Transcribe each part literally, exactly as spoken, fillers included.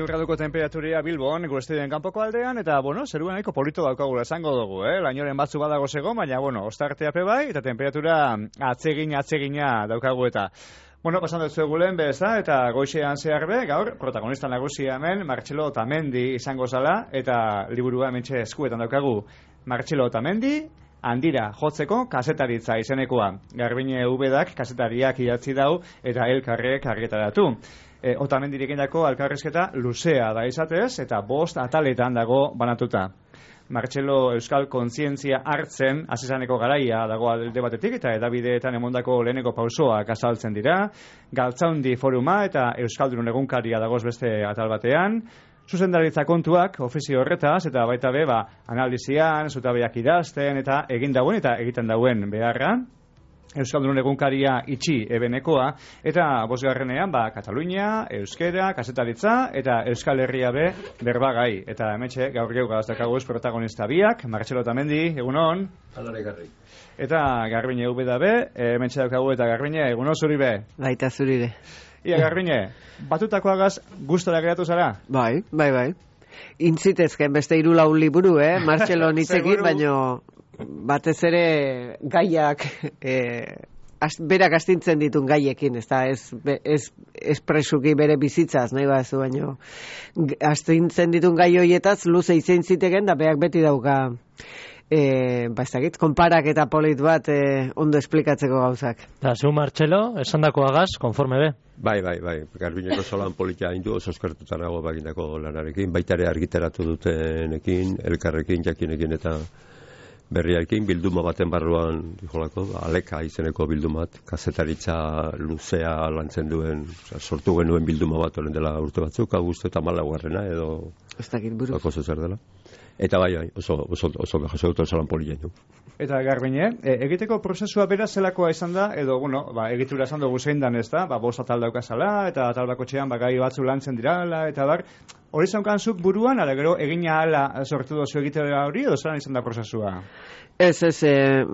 graduko temperaturia Bilbon, gure estudioen kanpoko aldean, eta, bueno, zeruen nahiko polito daukagula esango dugu, eh? Lainoren batzu badago zego, baina, bueno, ostarteape bai, eta temperatura atsegina, atsegina daukagu eta. Bueno, pasan dut zuegulen beza, eta goizean zehar be, gaur, protagonista nagusia hemen, Martxelo Otamendi izango zala, eta liburua hementxe eskuetan daukagu. Martxelo Otamendi, handira jotzeko kazetaritza izenekoa. Garbine Ubedak kazetariak idatzi dau, eta elkarrek argitaratu. E, Otamendirik egindako elkarrizketa luzea da izatez, eta bost ataletan dago banatuta. Martxelo euskal kontzientzia hartzen azizaneko garaia dago alde batetik, eta edabideetan emondako leheneko pausoak azaltzen dira. Galtzaundi foruma eta euskaldun egunkaria dagoz beste atal batean. Zuzendaritza kontuak ofizio horretaz, eta baita be, ba, analizian, zutabeak idazten, eta egin dauen eta egiten dauen beharra. Euskaldun egunkaria itxi ebenekoa, eta bosgarrenean, ba, Katalunia, Euskera, kazetaritza, eta Euskal Herria be berbagai. Eta hemetxe, gaur geu gaztakaguz protagonista biak, Martxelo Otamendi, egunon. Alare garri. Eta Garbine Ubeda be, hemetxe daukagu eta Garbine, egunon zuri be. Baita zuri be. Ia, Garbine, batutakoagaz gustora geratu zara? Bai, bai, bai. Intzitezken beste hiru lau liburu, eh? Martxelo nitzekin, baino batez ere gaiak eh, az, berak astintzen ditun gaiekin, ez da, ez, ez espresuki bere bizitzaz, nahi bazu, baino astintzen ditun gai hoietaz luze izein ziteken, da berak beti dauka E, ba, ez dakit, konparak eta polit bat e, ondo esplikatzeko gauzak. Da, zu Martxelo, esan dakoagaz, konforme be? Bai, bai, bai, Garbineko solan politia hindu, oso eskertutan nago bagindako lanarekin, baita ere argitaratu dutenekin, elkarrekin, jakinekin eta berriarekin, bilduma baten barruan, jolako, aleka izeneko bildumat, kazetaritza luzea lantzen duen, oza, sortu genuen bilduma bat oren dela urte batzuk, augusto eta malaguarrena, edo... Ez dakit buruz. Bako zer dela. Eta bai, bai, oso, oso, oso jaso dut solan polilla hindu. Eta Garbine, e, egiteko prozesua bera zelakoa izan da, edo, bueno, ba, egitura esan dugu zein dan ez da, ba, bost atal daukazala, eta atal bakotxean, ba, gai batzu lantzen dirala, eta bar, hori zaunkanzuk buruan, ala gero, egina ala sortu dozu egitera hori, edo zelan izan da prozesua? Ez, ez, e,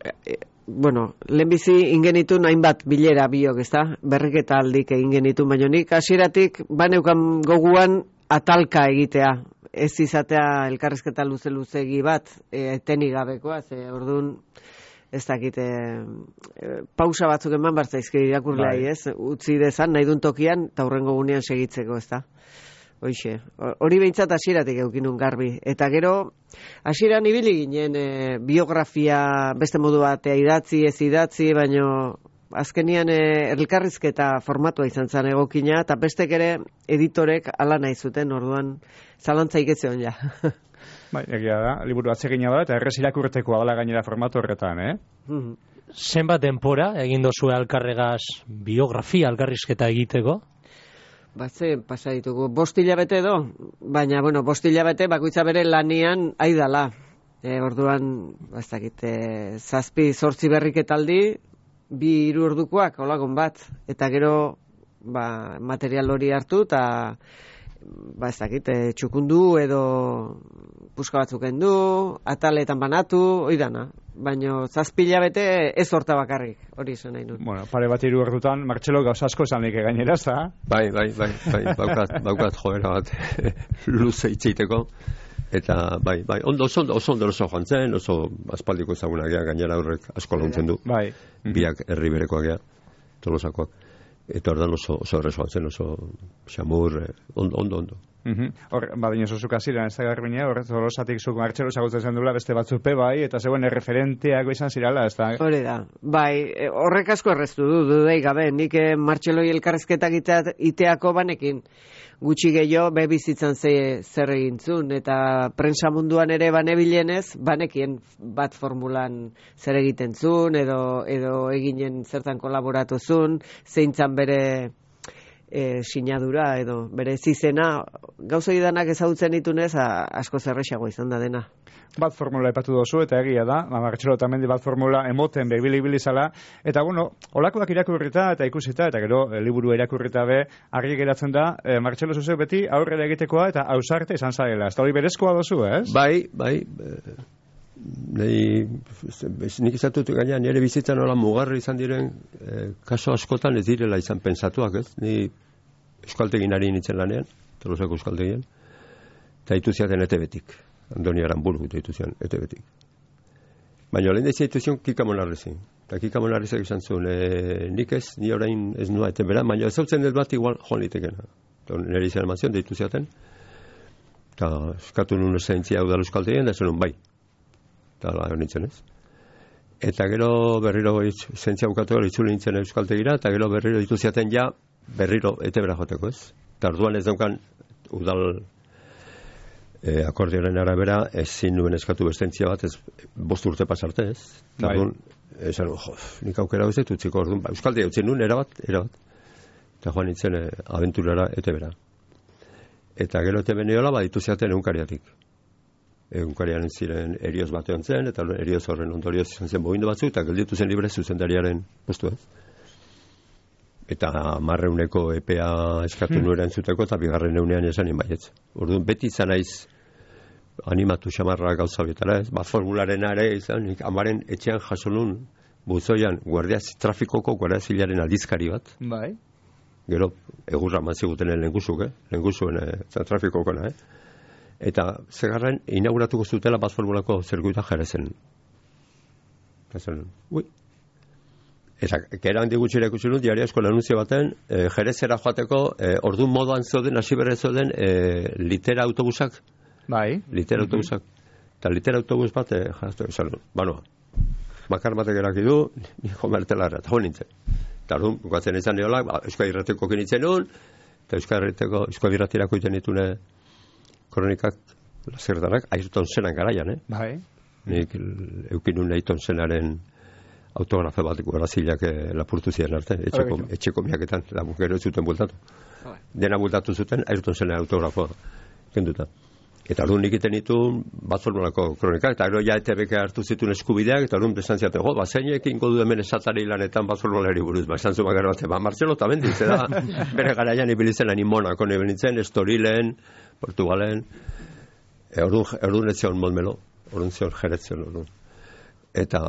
e, bueno, lehenbizi ingenitun hainbat bilera biok, ez da, berriketa aldik egin genitun, baina nik hasieratik baneukan goguan atalka egitea, ez izatea elkarrizketa luze-luzegi bat, e, tenik gabekoa, ze orduan ez dakit, e, e, pausa batzuk eman bartzaizki irakurleai, ez? Utzi dezan, nahi dun tokian, eta hurrengo gunean segitzeko, ez da? Hoixe, hori behintzat hasieratik eukinun garbi. Eta gero, hasieran ibili ginen e, biografia beste modu batea idatzi, ez idatzi, baino azkenian e, elkarrizketa formatua izan zen egokina, eta bestek ere editorek ala nahi zuten, orduan zalantza iketzeon ja. Bai, egia da, liburu atsegina da, eta errez irakurteko adala gainera formatu horretan, eh? Mm-hmm. Zenbat denpora egin dozu alkarregaz biografia alkarrizketa egiteko? Batze, pasa ditugu, bost hilabete edo, baina, bueno, bost hilabete bakoitza bere lanian aidala. E, orduan, bazakit, e, zazpi, zortzi berriketaldi, bi hiru ordukoak, olagon bat, eta gero ba, material hori hartu, eta ba, ez dakit, e, txukundu edo puska batzuk endu, ataletan banatu, hori dana. Baina zazpila bete ez horta bakarrik, hori izan nahi nun. Bueno, pare bat hiru ordutan, Martxelo gauz asko esan nik gainera, za? Bai, bai, bai, bai, baukat, baukat joera bat luze itxeiteko. Eta, bai, bai, ondo, oso, oso, ondo oso joan zen, oso aspaldiko ezagunak gea, gainera horrek asko launtzen du. Bai. Biak herri berekoak gea, tolosakoak. Eta ordan oso, oso errezo joan zen, oso xamur, ondo, ondo, ondo. Hor, badin oso zuk aziran, ez da Garbinea, horret tolosatik zuk Martxelo zagutzen zen dula beste batzupe bai, eta zegoen erreferenteako izan zirala, ez da? Hore da, bai, horrek asko erreztu du, dudei gabe, nik Martxeloi elkarrezketak iteako banekin, gutxi gehiago be bizitzan ze, zer egintzun, eta prensa munduan ere banebilenez, banekien bat formulan zer egiten zun, edo, edo eginen zertan kolaboratu zun, zeintzan bere e, sinadura, edo bere zizena, gauzoi danak ezagutzen ditunez, asko zerrexago izan da dena. Bat formula epatu dozu, eta egia da, Martxelo Otamendi bat formula emoten behibili zala, eta bueno, olakoak irakurrita eta ikusita, eta gero e, liburu irakurrita be, argi geratzen da, e, Martxelo zuzek beti aurrera egitekoa eta ausarte izan zaila. Ez da hori berezkoa dozu, ez? Bai, bai, e, nahi, nik izatut gaina nire bizitzan hola mugarri izan diren e, kaso askotan ez direla izan pensatuak, ez? Ni eskualtegin ari nintzen lanean, Tolosako euskaltegien, eta ditu ziaten E T B-tik. Andoni Aranburu ditu zian E T B-tik. Baina lehen dezia ditu zion Kika Monarrezin. Eta Kika Monarrezak izan zuen, e, nik ez, ni orain ez nua eten bera, baina ez hautzen dut bat igual joan litekena. Nire izan eman zion, ditu ziaten. Eta eskatu nun esentzia hau da euskaltegien, da zenun bai. Eta la nintzen ez. Eta gero berriro esentzia bukatu gara itzuli nintzen euskaltegira, eta gero berriro ditu ziaten ja berriro ete bera joteko ez. Eta orduan ez daukan udal e, akordioaren arabera ezin nuen eskatu bestentzia bat, ez bost urte pasarte ez. Eta orduan, esan, jo, nik aukera ez dut utziko orduan, ba, euskaltea utzien nuen, erabat, erabat. Eta joan nintzen e, abenturara ete bera. Eta gero ete beniola, ba, ditu ziaten egunkariatik. Egunkariaren ziren erioz batean zen, eta erioz horren ondorioz izan zen bogindu batzuk, eta gelditu zen libre zuzendariaren postu ez. Eta marreuneko epea eskatu hmm. nuera entzuteko, eta bigarren eunean esan inbaietz. Orduan, beti izan naiz animatu xamarra gauza bietara ez, bat formularen are izan, amaren etxean jaso nun, buzoian, guardia, trafikoko guardia zilaren aldizkari bat. Bai. Gero, egurra mazigutenen lengusuk, eh? Lengusuen eh, trafikokona, eh? Eta zegarren inauguratuko zutela bat formulako zirkuita Jerezen. Eta zen, ui. Eta kera handi gutxira ikusi nun, diariasko lanunzio baten, e, Jerezera joateko, e, ordu moduan zoden, hasi berre zoden, e, litera autobusak. Bai. Litera mm-hmm. autobusak. Eta litera autobus bat, e, jaztu, esan, banoa, makar batek eraki du, niko mertelarra, eta hon nintzen. Eta orduan, bukatzen izan neola, ba, Euskal Irrateko kinitzen nun, eta Euskal Irrateko, Euskal Irratirako iten ditune kronikak, lazerdanak, Ayrton Senan garaian, eh? Bai. Nik eukinun Ayrton Senaren autografe bat Braziliak eh, lapurtu ziren arte, etxeko, etxeko miaketan, gero ez zuten bultatu. Bai. Dena bultatu zuten, Ayrton Senan autografoa kenduta. Eta orduan nik iten ditu bat formulako kronikak, eta gero ja E T B hartu zituen eskubideak, eta orduan besan ziaten, jo, ba, zeinek ingo du hemen esatari lanetan bat formulari buruz, ba, esan zuma gara bat, ba, Martxelo eta bendiz, da, bere garaian ibilitzen ani Monako nibilitzen, Estorilen, Portugalen, e, orduan, orduan ez zion Montmelo, orduan zion Jeretzen, orduan. Eta,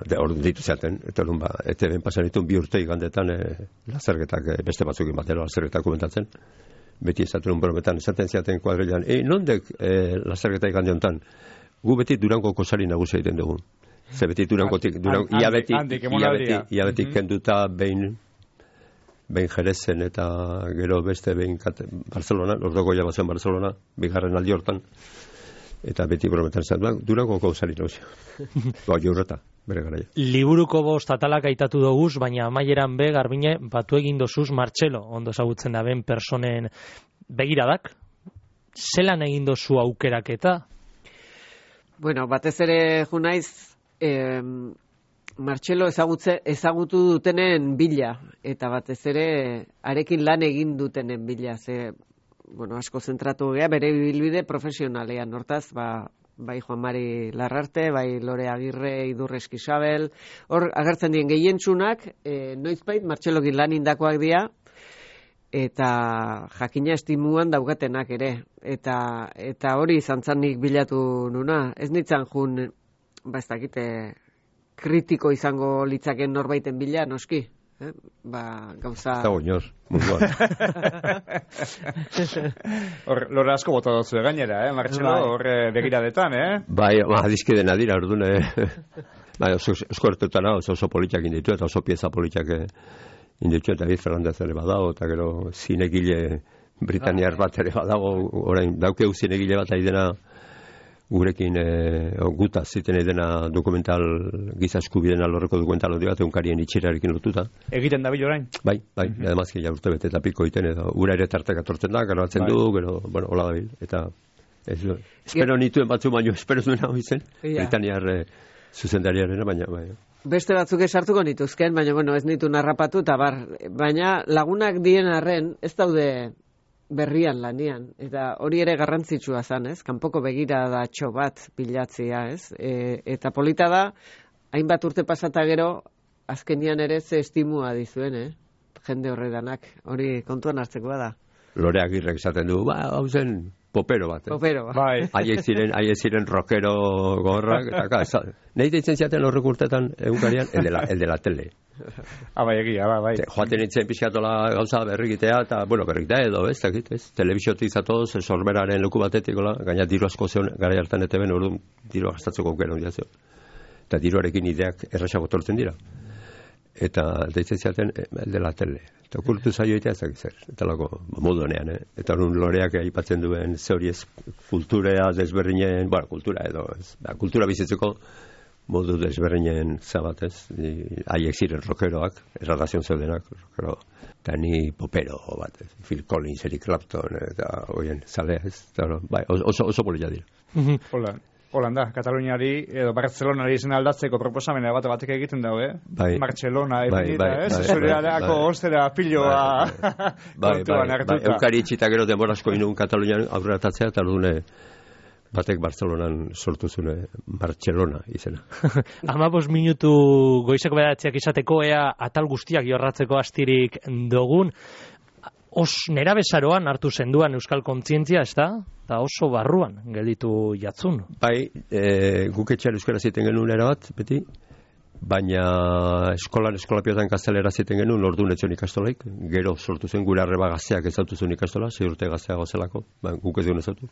de, orduan ditu zaten, eta orduan, ba, E T B pasan dituen bi urte igandetan, e, lazergetak, e, beste batzukin batero, lazergetak komentatzen, beti esaten brometan, esaten ziaten kuadrilan, e, nondek e, lazergeta igande honetan, gu beti Durangoko sari nagusia egiten dugu. Ze beti Durangotik, Durango, ia beti, ia beti, ia beti kenduta behin, behin Jerezen eta gero beste behin kate, Barcelona, ordoko ja bazen Barcelona, bigarren aldi hortan, eta beti brometan zaten, Durangoko sari nagusia. Ba, jorreta, bere garaia. Liburuko bost atalak aitatu doguz, baina amaieran be, Garbine, batu egin dozuz Martxelo, ondo ezagutzen da ben personen begiradak. Zelan egin dozu aukeraketa? Bueno, batez ere junaiz, eh, Martxelo ezagutze, ezagutu dutenen bila, eta batez ere arekin lan egin dutenen bila, ze, bueno, asko zentratu gea, bere bilbide profesionalean, hortaz, ba, bai Juan Mari Larrarte, bai Lore Agirre, Idurre Eskisabel, hor agertzen dien gehientsunak, e, noizbait Martxelokin lan indakoak dira, eta jakina estimuan daugatenak ere, eta eta hori izan zanik bilatu nuna, ez nitzan jun, ba ez dakite, kritiko izango litzaken norbaiten bila, noski, eh? Ba, gauza... Eta oinor, munduan. Hor, lore asko bota dutzu gainera, eh, Martxelo, hor begiradetan, eh? Bai, ba, dizkide nadira, orduan, eh? Bai, oso eskuertutan oso, oso politiak inditu, eta oso pieza politiak inditu, eta David Fernandez ere badago, eta gero zinegile Britaniar bat ere badago, orain, daukeu zinegile bat aidena gurekin e, guta ziten edena dokumental giza eskubideen alorreko dokumental hori bat egunkarien itxerarekin lotuta. Egiten dabil orain? Bai, bai, mm-hmm. Ademazki ja urte bete eta piko iten edo ura ere tartek atortzen da, gero batzen bai. Du, gero, bueno, hola dabil, eta ez, espero nituen batzu baino, espero duen hau izen, yeah. Britaniar e, zuzendariarena, baina, bai. Beste batzuk esartuko nituzken, baina, bueno, ez nitu narrapatu, eta bar, baina lagunak dien arren, ez daude berrian lanian, eta hori ere garrantzitsua zan, ez? Kanpoko begiradatxo bat bilatzea, ez? E, eta polita da, hainbat urte pasata gero, azkenian ere ze estimua dizuen, eh? Jende horredanak, hori kontuan hartzekoa da. Lore Agirrek esaten du, ba, hau zen, popero bat. Eh? Popero bat. Bai. Haiek ziren, haiek ziren rockero gorrak, eta ka, nahi deitzen ziaten horrek urtetan egunkarian, el de la, el de la tele. Ah, bai, egia, bai, bai. Joaten nintzen pixkatola gauza berrigitea, eta, bueno, berrigitea edo, ez, dakit, ez, telebiziotik zatoz, sorberaren leku batetik, gola, gaina diru asko zeon, gara hartan ete ben, orduan diru gastatzeko aukera ondia zeo. Eta diruarekin ideak erraxago tortzen dira. Eta deitzen ziaten, el de la tele. Eta okurtu zaio egitea ezak zer, eta lako modu honean, eh? Eta horren loreak aipatzen duen zeuri ez kulturea desberdinen, bueno, kultura edo, ez, ba, kultura bizitzeko modu desberdinen zabatez, haiek ziren rockeroak, erradazion zeudenak, rockero, eta ni popero bat, ez, Phil Collins, Eric Clapton, eta hoien zalea, ez, eta, bai, oso, oso polilla dira. Hola. Holanda, Kataluniari edo Barcelonari izen aldatzeko proposamena bat batek egiten dago, eh? Bai. Barcelona, bai, ebinita, bai, ez? bai, Zurearako bai, ostera piloa bai, bai, kontuan hartuta. bai, eukari itxita gero denbora asko inun Katalunian aurreratzea, eta ordune batek Barcelonan sortu zune Barcelona izena. Amabos minutu goizeko bedatziak izateko, ea atal guztiak jorratzeko astirik dogun, os nera bezaroan hartu zenduan euskal kontzientzia, ez da? Eta oso barruan gelditu jatzun. Bai, e, guk etxean euskara ziten genuen erabat, beti, baina eskolan eskolapiotan gaztelera ziten genuen, orduan etxon ikastolaik, gero sortu zen gure arreba gazteak ezautu zuen ikastola, zei urte gazteago zelako, ba, guk ez duen ezautu.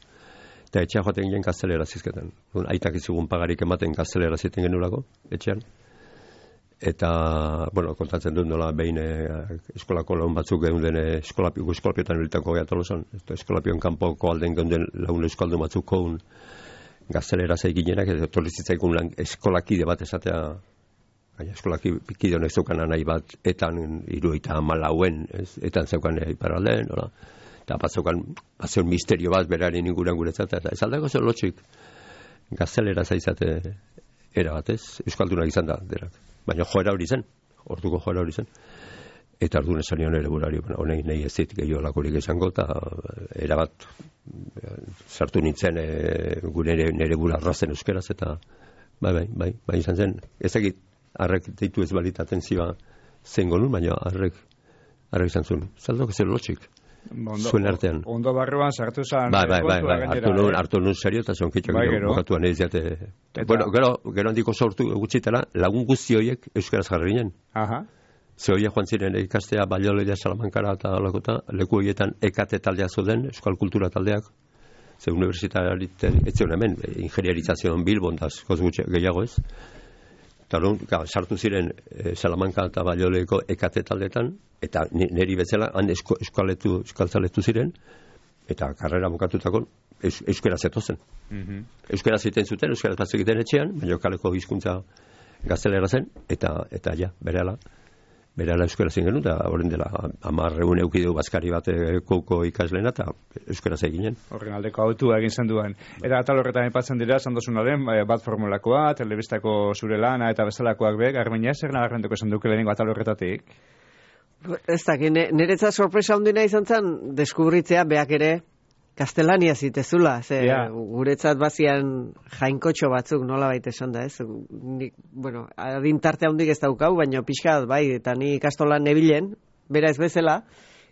Eta etxea joaten ginen gaztelera zizketan. Aitak izugun pagarik ematen gaztelera ziten genuelako, etxean. Eta, bueno, kontatzen dut nola behin eh, eskolako laun batzuk geunden eh, eskolapio, eskolapiotan hiltako gea tolosan. Eskolapion kanpoko alden geunden laun euskaldu batzuk koun gaztelera zeiginenak, eta torrizitzaikun lan eskolakide bat esatea, baina eskolakide honek zeukan nahi bat, etan iruita malauen, ez, etan zeukan iparalden, nola. Eta bat zeukan, bat zeun misterio bat berari inguruan guretzat, eta ez aldako zer lotxik gaztelera zaizate era batez, euskaldunak izan da, derak. Baina joera hori zen, orduko joera hori zen. Eta orduan esan nion ere burari, honek nahi ez dit gehiago lakorik izango, eta erabat sartu nintzen e, gure nire bura arrazen euskeraz, eta bai, bai, bai, bai izan zen. Ez egit, harrek deitu ez balitaten ziba zen gonun, baina harrek, harrek izan zuen. Zaldok ez lotxik. Ondo, zuen artean. Ondo barruan sartu zan. Bai, bai, bai, bai, hartu nun, hartu nun serio, eta zonkitxo bai, gero, bukatuan ez jate. Bueno, gero, gero handiko sortu gutxitela, lagun guzti horiek euskaraz jarri ginen. Aha. Ze horiek joan ziren ikastea, Balioleria, Salamankara eta lakota, leku horietan ekate taldea zuden, euskal kultura taldeak. Ze universitatean, ez zion hemen, ingenieritzazioan Bilbon, da, koz gutxe gehiago ez. Eta sartu ziren e, Salamanca eta Balioleko ekate taldetan, eta niri bezala han esko, eskaletu, eskaltzaletu ziren, eta karrera bukatutako eus, euskera zetozen. Mm-hmm. Euskera ziten zuten, euskera bat egiten etxean, baina kaleko hizkuntza gaztelera zen, eta eta ja, berehala, berehala euskera zen genuen, eta horren dela hamar egun eukideu bazkari bat kouko ikaslena, eta euskera zeginen. Horren aldeko autua egin zen duen. Eta atal horretan aipatzen dira, sandosunaren, bat formulakoa, telebistako zure lana, eta bezalakoak be, Garbiñe, zer nagarrentuko esan duke lehenengo atal horretatik? Ez dakit, niretzat sorpresa hundina izan zen, deskubritzea beak ere gaztelania zitezula, ze yeah. Guretzat bazian jainkotxo batzuk nola baita esan da, ez? Nik, bueno, adintarte handik ez daukau, baina pixka bai, eta ni ikastolan nebilen, bera ez bezala,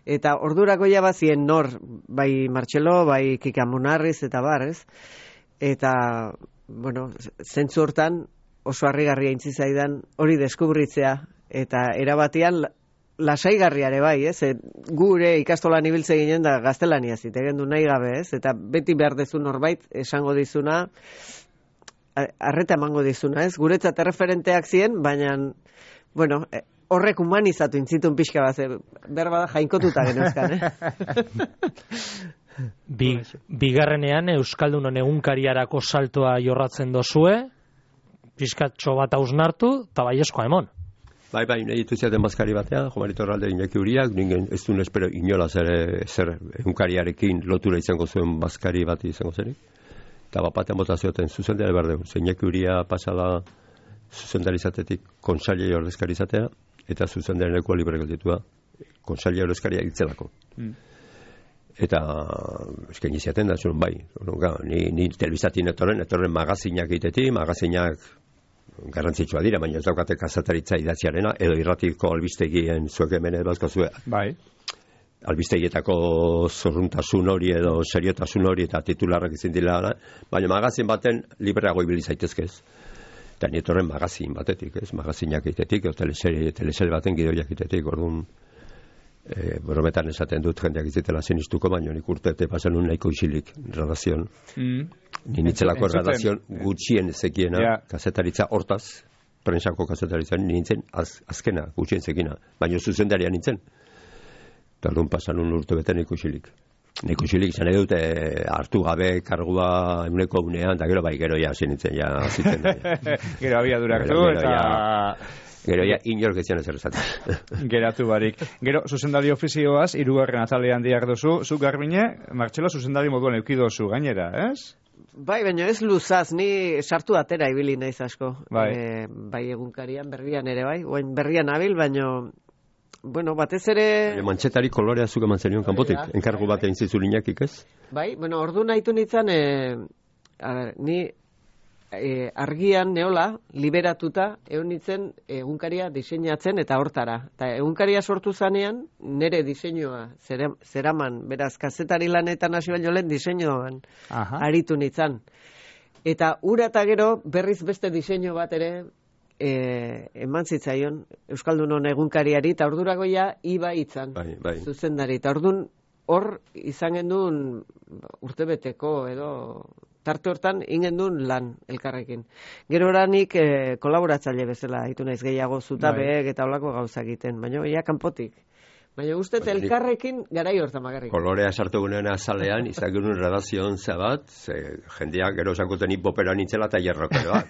eta ordurako ja bazien nor, bai Martxelo, bai Kika Munarriz, eta bar, ez? Eta, bueno, zentzu hortan oso harrigarria intzi zaidan hori deskubritzea, eta erabatian lasaigarriare bai, ez? E, gure ikastolan ibiltze ginen da gaztelania zitegen du nahi gabe, ez? Eta beti behar dezu norbait esango dizuna, arreta emango dizuna, ez? Guretzat erreferenteak ziren, baina, bueno, horrek humanizatu intzitun pixka bat, berba da jainkotuta genuzkan, eh? Bi, bigarrenean Euskaldunon egunkariarako saltoa jorratzen dozue, pixkatxo bat hausnartu, eta baieskoa emon. Bai, bai, nahi ditu ziaten bazkari batean, Jomarito Herralde Iñaki Uriak, ningen ez duen espero inolaz ere zer egunkariarekin lotura izango zuen bazkari bat izango zenik. Eta bat batean bota zioten zuzendari behar dugu. Iñaki Uria pasala zuzendarizatetik konsailei ordezkari izatea, eta zuzendari lekoa libre gelditua konsailei ordezkaria itzelako. Mm. Eta eskaini ziaten da, zuen bai, ni, ni telebizatin etorren, etorren magazinak egitetik, magazinak garrantzitsua dira, baina ez daukate kazetaritza idatziarena, edo irratiko albistegien zuek hemen edbazko zue. Bai. albistegietako zorruntasun hori edo seriotasun hori eta titularrak izin dira, baina magazin baten libreago ibili zaitezkez. Eta nietorren magazin batetik, ez? Magazinak itetik, o teleserie, teleserie baten gidoiak itetik, orduan e, brometan esaten dut jendeak izitela sinistuko, baina nik urtete pasen un nahiko isilik redakzion. Mm. Ni nitzelako redakzion gutxien zekiena, yeah. Kazetaritza hortaz, prensako kazetaritza nintzen az, azkena, gutxien zekina, baina zuzendaria nintzen. Eta orduan pasan un urte beten nahiko isilik. Nahiko isilik izan edut e, hartu gabe kargua eguneko unean, eta gero bai gero ja hasi nintzen, ja ziten. Gero abia duraktu, eta... Gero ja inork ezian ezer esaten. Geratu barik. Gero, zuzendari ofizioaz, hirugarren atalean diak dozu, zu Garbine, Martxelo zuzendari moduan eukidozu gainera, ez? Bai, baina ez luzaz, ni sartu atera ibili naiz asko. Bai. E, bai egunkarian, berrian ere bai, oain berrian abil, baina... Bueno, batez ere... Mantxetari kolorea zuk eman zenion kanpotik, enkargu bat egin zizulinakik, ez? Bai, bueno, ordu nahitu nintzen, e, a ber, ni e, argian neola, liberatuta, egon nintzen egunkaria diseinatzen eta hortara. Eta egunkaria sortu zanean, nire diseinua, zera, zeraman, beraz, kazetari lanetan hasi baino lehen diseinuan aritu nintzen. Eta ura eta gero, berriz beste diseinu bat ere, E, eman zitzaion Euskaldunon egunkariari, eta orduragoia iba itzan, bai, bai. Zuzendari, eta ordun hor izan gendun urtebeteko edo tarte hortan ingendun lan elkarrekin. Gero oranik e, kolaboratzaile bezala hitu naiz gehiago zutabeek bai. Eta holako gauza egiten, baina ia kanpotik. Baina uste bai, elkarrekin garai hortan magarrik. Kolorea sartu gunean azalean, izan genuen redazioan zabat, ze jendeak gero esankuten hipopera nintzela eta jerrokeroa.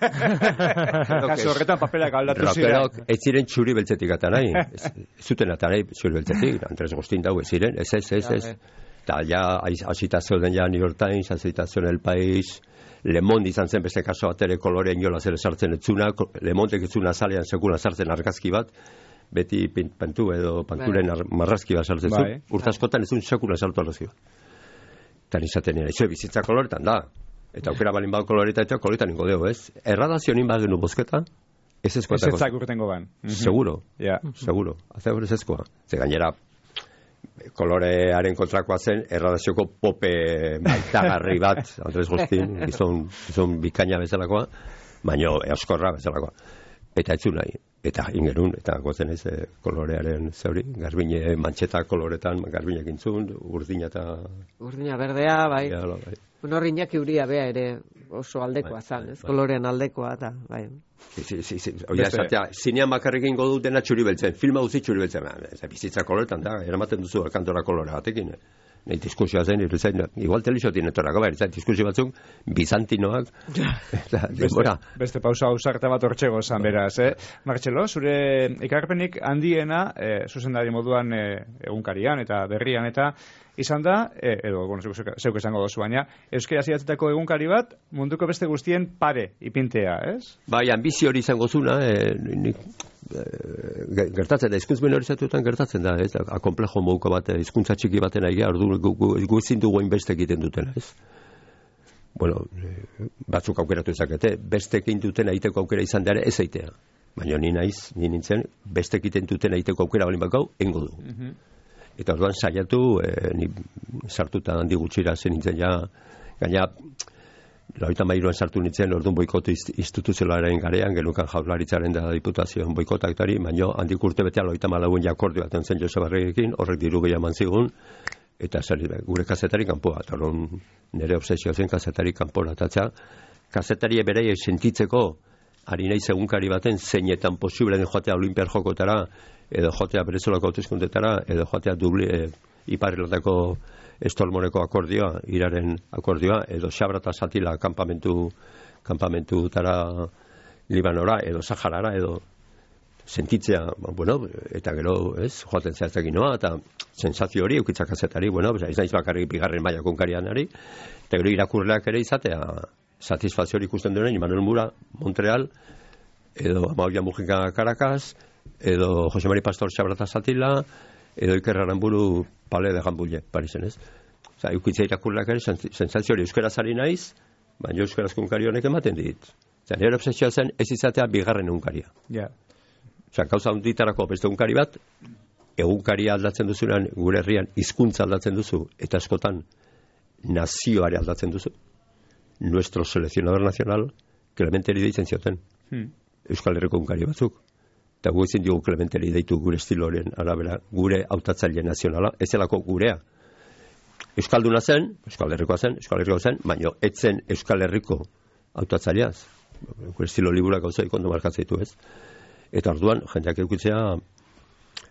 Kaso horretan paperak aldatu ziren. Rokerok ez ziren txuri beltzetik atan nahi. Ez zuten atan nahi txuri beltzetik. Andres Gostin dau ez ziren, ez ez ez ez. Eta ja, hasita zeuden ja New York Times, hasita zeuden El País, Le Monde izan zen beste kaso bat ere kolorea inola zer sartzen etzuna, Le Mondek etzuna azalean sekula sartzen argazki bat, beti pantu edo panturen marrazki bat sartzen zu, urtaskotan ez duen sekula sartu arrazki bat. Eta nizaten nire, izo bizitza koloretan da. Eta aukera balin bau koloreta eta koloretan ingo deo, ez? Erradazio nin bat genu bozketa, ez ezkoa. Ez ezak urtengo ban. Seguro, seguro. Azea hori ez ezkoa. Ze gainera, kolorearen kontrakoa zen, erradazioko pope maitagarri bat, Andres Gostin, gizon, gizon bikaina bezalakoa, baino euskorra bezalakoa. Eta etzu nahi, eta ingerun, eta gozen ez e, kolorearen zeuri, Garbine mantxeta koloretan, Garbinek intzun, urdina eta... Urdina berdea, bai. Ja, bai. Bueno, Iñaki Uria bea ere oso aldekoa bai, zan, ez? Bai. Kolorean aldekoa, eta, bai. Si, si, si, si. Oia, esatea, zinean bakarrik ingo dut dena txuri beltzen, filma guzti txuri beltzen, ez bizitza koloretan da, eramaten duzu alkantora kolore batekin, eh? Nahi diskusioa zen, iruzain, igual telixotin etorrako, bai, diskusio batzuk, bizantinoak, eta, beste, beste pausa ausarta bat hortxego zan beraz, eh? Martxelo, zure ikarpenik handiena, eh, zuzendari moduan eh, egunkarian eta berrian eta izan da, eh, edo, bueno, zeuk, zeuk esango dozu baina, euskera zidatzeko egunkari bat, munduko beste guztien pare ipintea, ez? Bai, ambizio hori izango zuna, eh, nik, gertatzen da, hizkuntz minorizatuetan gertatzen da, ez? A komplejo mouko bat, hizkuntza txiki baten aigea, ordu gu ezin dugu hainbeste egiten dutena, ez? Bueno, batzuk aukeratu ezakete, beste egin duten egiteko aukera izan dara ez aitea. Baina ni naiz, ni nintzen, beste egiten duten egiteko aukera balin bakau, engo du. Mm-hmm. Eta orduan saiatu, eh, ni sartuta handi gutxira zen nintzen ja, gaina, Lauita mairuan sartu nintzen, orduan boikotu instituzionalaren garean, genukan jaurlaritzaren da diputazioan boikotak dari, baino handik urte betea lauita malauen jakordio baten zen Jose Barregekin, horrek diru gehiago manzigun, eta zer, gure kazetari kanpoa, eta orduan nire obsesioa zen kazetari kanpoa atatza. Kazetari berei sentitzeko, ari nahi egunkari baten, zeinetan posible den joatea Olimpiar jokotara, edo joatea Berezolako hauteskundetara, edo joatea Dubli, e, Iparrilatako Estolmoneko akordioa, iraren akordioa, edo Xabrata Satila kanpamentu kanpamentutara Libanora, edo Saharara, edo sentitzea, bueno, eta gero, ez, joaten zehatzekin noa, eta sensazio hori, eukitzak kazetari, bueno, ez naiz bakarrik bigarren maila konkarianari, eta gero irakurleak ere izatea, satisfazio hori ikusten duen, Imanol Mura, Montreal, edo Amaulia Mujika Caracas, edo Jose Mari Pastor Xabrata Satila, edo Iker Aramburu Pale de Jambulle, Parisen, ez? Osa, eukitzea irakurleak ere, sensazio hori euskaraz ari naiz, baina euskaraz konkari honek ematen dit. Osa, nire obsesioa zen ez izatea bigarren unkaria. Ja. Osa, gauza hunditarako beste unkari bat, egunkaria aldatzen duzunean, gure herrian hizkuntza aldatzen duzu, eta askotan nazioare aldatzen duzu. Nuestro seleccionador nacional Clementeri deitzen zioten. Hmm. Euskal Herriko egunkari batzuk. Eta gu ezin diogu Clementeri deitu gure estiloren arabera, gure hautatzaile nazionala, ez zelako gurea. Euskalduna zen, Euskal Herrikoa zen, Euskal Herrikoa zen, baina etzen Euskal Herriko hautatzaileaz. Gure estilo liburak gauzaik ondo markatzen ditu, ez? Eta orduan, jendeak eukitzea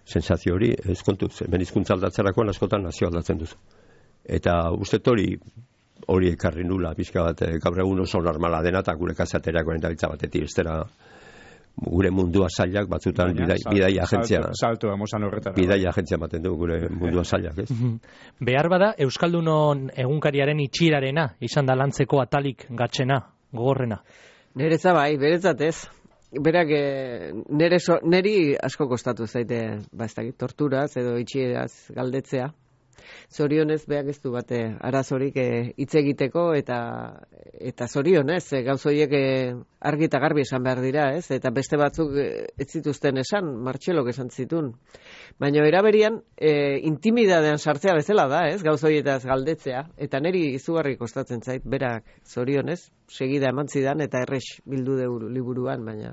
sensazio hori, ez kontuz, hemen hizkuntza aldatzerakoan askotan nazio aldatzen duzu. Eta uste hori hori ekarri nula, pixka bat, gaur egun oso normala dena, eta gure kasateriakoen dabiltza batetik, estera gure mundua zailak batzutan bidai, bidai agentzia. Salto, salto, horretara. Bidai agentzia baten du gure mundua zailak, ez? Behar bada, Euskaldunon egunkariaren itxirarena, izan da lantzeko atalik gatxena, gogorrena. Neretza bai, beretzat ez. Berak, nere so, neri asko kostatu zaite, ba ez dakit, torturaz edo itxieraz galdetzea. Zorionez, beak ez du bate arazorik hitz e, egiteko eta eta zorionez, e, gauz horiek e, argi eta garbi esan behar dira, ez? Eta beste batzuk e, ez zituzten esan, Martxelok esan zitun. Baina eraberian, e, intimidadean sartzea bezala da, ez? Gauz horietaz galdetzea. Eta neri izugarri kostatzen zait, berak zorionez, segida eman zidan eta errex bildu deu liburuan, baina...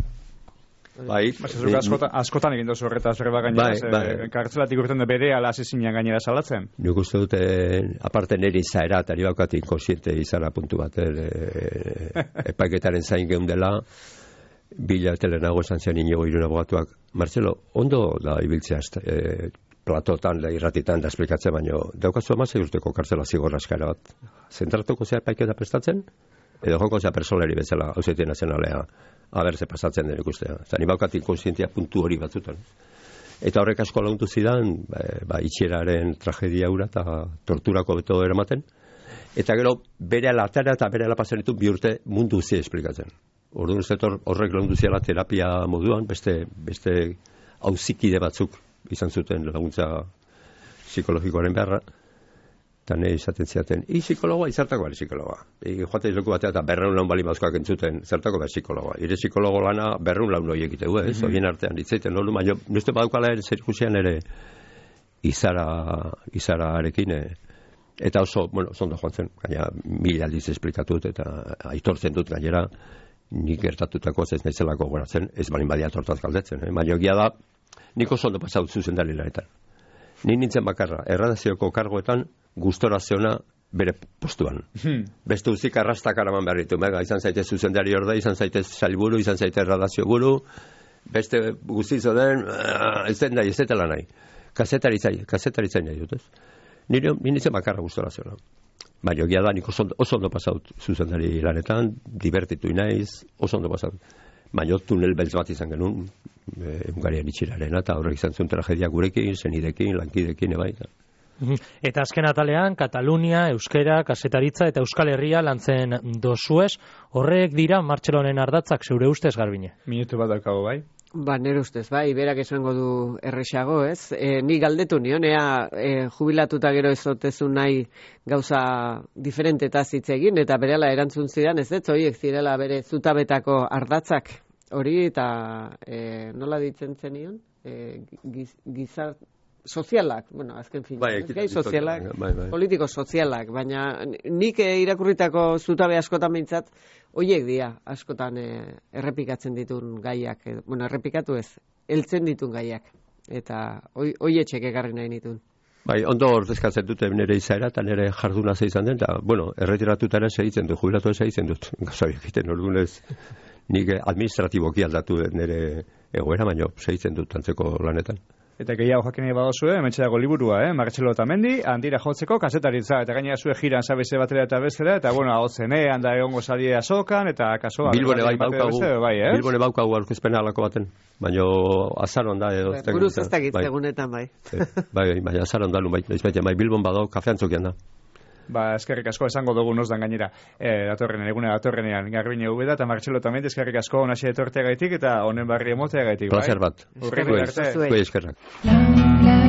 Bai, askotan, askotan egin dozu horretaz berba gainera, bai, bai. Kartzelatik urten da bere ala asezinean gainera salatzen. Nik uste dute, aparte nire izaera, eta nire baukat inkosiente izara puntu bat, e, epaiketaren zain geundela, bila telenago esan zian inigo irun abogatuak, Marcelo, ondo da ibiltzea e, platotan, da irratitan, da esplikatzen, baino, daukazu amazai urteko kartzela zigorra eskaera bat. Zentratuko zea epaiketa prestatzen, edo joko zea personeri bezala, Auzitea Nazionalea, haber ze pasatzen den ikustea. Zani baukat inkonsientia puntu hori batzutan. Eta horrek asko laguntu zidan, ba, itxieraren tragedia hura eta torturako beto eramaten. Eta gero, bere alatara eta bere alapazen ditu bi urte mundu zi esplikatzen. Orduan uste horrek lagundu ziala terapia moduan, beste, beste auzikide batzuk izan zuten laguntza psikologikoaren beharra. Eta nahi izaten ziaten, i psikologoa, izartako bari psikologoa. I joate izloku batea eta berreun laun bali mazkoak entzuten, zertako bari psikologoa. Ire psikologo lana berreun laun hori egitegu, ez? Mm-hmm. Horien artean ditzeiten, nolu, baina nuzte badukala ere zer ikusian ere izara, izara arekin, eta oso, bueno, zondo joan zen, gaina mil aldiz esplikatut eta aitortzen dut gainera, nik gertatutako ez nahizelako goratzen, ez balin badia tortaz galdetzen, eh? Baina egia da, nik oso ondo pasaut zuzendari lanetan. Ni nintzen bakarra, erradazioko kargoetan, gustora zeona bere postuan. Hmm. Beste uzik arrastak araman behar ditu. Mega, izan zaitez zuzendari orde, izan zaitez salburu, izan zaitez erradazio buru, beste guztizo den, ez den nahi, ez detela nahi. Kazetaritzai, kazetaritzai nahi dut, ez? Nire, nintzen bakarra gustora zeona. Baina, egia da, nik oso, oso ondo pasaut zuzendari lanetan, divertitu inaiz, oso ondo pasaut. Baina, tunel beltz bat izan genuen, Hungarian itxirarena, eta horrek izan zuen tragedia gurekin, zenidekin, lankidekin, ebaita. Eta azken atalean, Katalunia, Euskera, Kasetaritza eta Euskal Herria lantzen dozuez, horrek dira Martxelonen ardatzak zeure ustez, Garbine? Minutu bat daukago, bai? Ba, nire ustez, bai, berak esango du erresago, ez? E, ni galdetu nion, ea e, jubilatuta gero ezotezu nahi gauza diferentetaz hitz egin, eta berela erantzun zidan, ez ez, horiek zirela bere zutabetako ardatzak, hori, eta e, nola ditzen zenion? E, giz, gizart, sozialak, bueno, azken fin, bai, gai sozialak, bai, bai. Politiko sozialak, baina nik e, irakurritako zutabe askotan behintzat, hoiek dira, askotan e, errepikatzen ditun gaiak, e, bueno, errepikatu ez, heltzen ditun gaiak, eta hoietxek egarri nahi nitun. Bai, ondo ordezkatzen dute nire izaera eta nire jarduna ze izan den, eta, bueno, erretiratuta ere segitzen dut, jubilatu ere segitzen dut, gazabiak egiten, orduanez, nik administratiboki aldatu nire egoera, baina segitzen dut antzeko lanetan. Eta gehiago jakin nahi badozue, hementxe dago liburua, eh? Martxelo Otamendi, handira jotzeko kasetaritza, eta gainera zue jiran zabeze batera eta bestera, eta bueno, hau zen, eh? Handa egongo salie azokan, eta kaso... Bilbone bai baukagu, bai, eh? Bilbone baukagu aurkezpena alako baten, baina azaron da edo... Buruz ez dakit, egunetan bai. Bai, baina azaron da, bai, bai, Bilbon badao, kafeantzokian da. Ba, eskerrik asko esango dugu nozdan gainera. E, datorrenean, egune datorrenean, Garbine Ubeda eta Martxelo Otamendi, eskerrik asko onaxe etorteagaitik eta honen barri emoteagaitik, bai? Placer bat. Urrengo arte. Eskerrak.